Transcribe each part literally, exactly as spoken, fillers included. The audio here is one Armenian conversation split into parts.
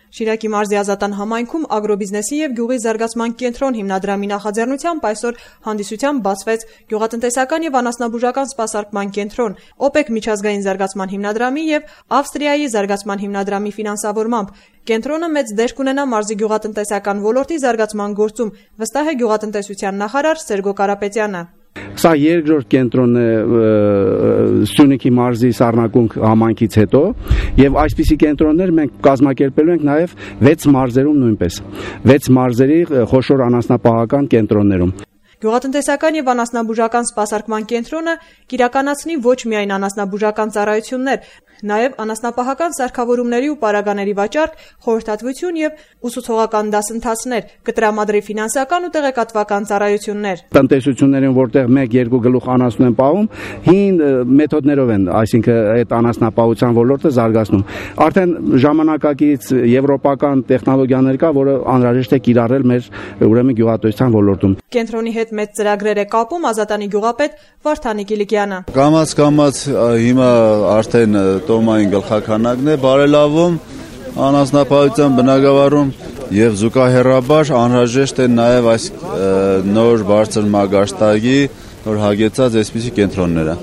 Շիրակի մարզի Ազատան համայնքում ագրոբիզնեսի և գյուղի զարգացման կենտրոն հիմնադրամի նախաձեռնությամբ այսօր հանդիսությամբ բացվեց գյուղատնտեսական և անասնաբուժական սպասարկման կենտրոն, ՕՊԵԿ միջազգային զարգացման հիմնադրամի և Ավստրիայի զարգացման հիմնադրամի ֆինանսավորմամբ։ Կենտրոնը մեծ դեր կունենա մարզի գյուղատնտեսական ոլորտի զարգացման գործում, վստահ է գյուղատնտեսության նախարար Սերգո Կարապետյանը։ Սա երկրորդ կենտրոնն է Սյունիքի մարզի Սառնակունք համայնքից հետո եւ այսպիսի կենտրոններ մենք կազմակերպելու ենք նաեւ վեց մարզերում նույնպես վեց մարզերի խոշոր անասնապահական կենտրոններում։ Գյուղատնտեսական և անասնաբուժական սպասարկման կենտրոնը կիրականացնի ոչ միայն անասնաբուժական ծառայություններ, նաև անասնապահական սարքավորումների ու պարագաների վաճառք, խորհրդատվություն և ուսուցողական դասընթացներ, կտրամադրի ֆինանսական ու տեղեկատվական ծառայություններ։ Տնտեսություններին, որտեղ մեկ-երկու գլուխ անասուն են պահում, հին մեթոդներով են, այսինքն այդ անասնապահության ոլորտը զարգացնում։ Արդեն ժամանակակից եվրոպական տեխնոլոգիաներ կա, որը անհրաժեշտ է կիրառել մեր ուրեմն գյուղատնտեսության ոլորտում։ Կենտրոնի հետ մեծ ծրագրեր է կապում Ազատանի գյուղապետ Վարդանիկ Իլիկյանը։ Կամաց-կամաց հիմա արդեն տոմային գլխաքանակն է բարելավում անասնապահության բնագավառում եւ զուգահեռաբար անհրաժեշտ է նաեւ այս նոր բարձր մագարտակի նոր հագեցած այսպիսի կենտրոնները։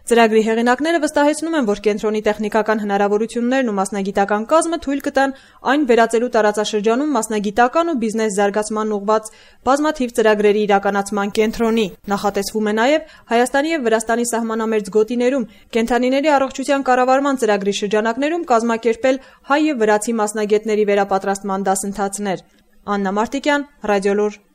Ծրագրի հեղինակները վստահեցնում են, որ կենտրոնի տեխնիկական հնարավորություններն ու մասնագիտական կազմը թույլ կտան այն վերածելու տարածաշրջանում մասնագիտական ու բիզնես զարգացման ուղղված բազմաթիվ ծրագրերի իրականացման կենտրոնի։ Նախատեսվում է նաև Հայաստանի և Վրաստանի սահմանամերձ գոտիներում կենդանիների առողջության կառավարման ծրագրի շրջանակներում կազմակերպել հայ և վրացի մասնագետների վերապատրաստման դասընթացներ։ Աննա Մարտիկյան, Ռադիոլուր։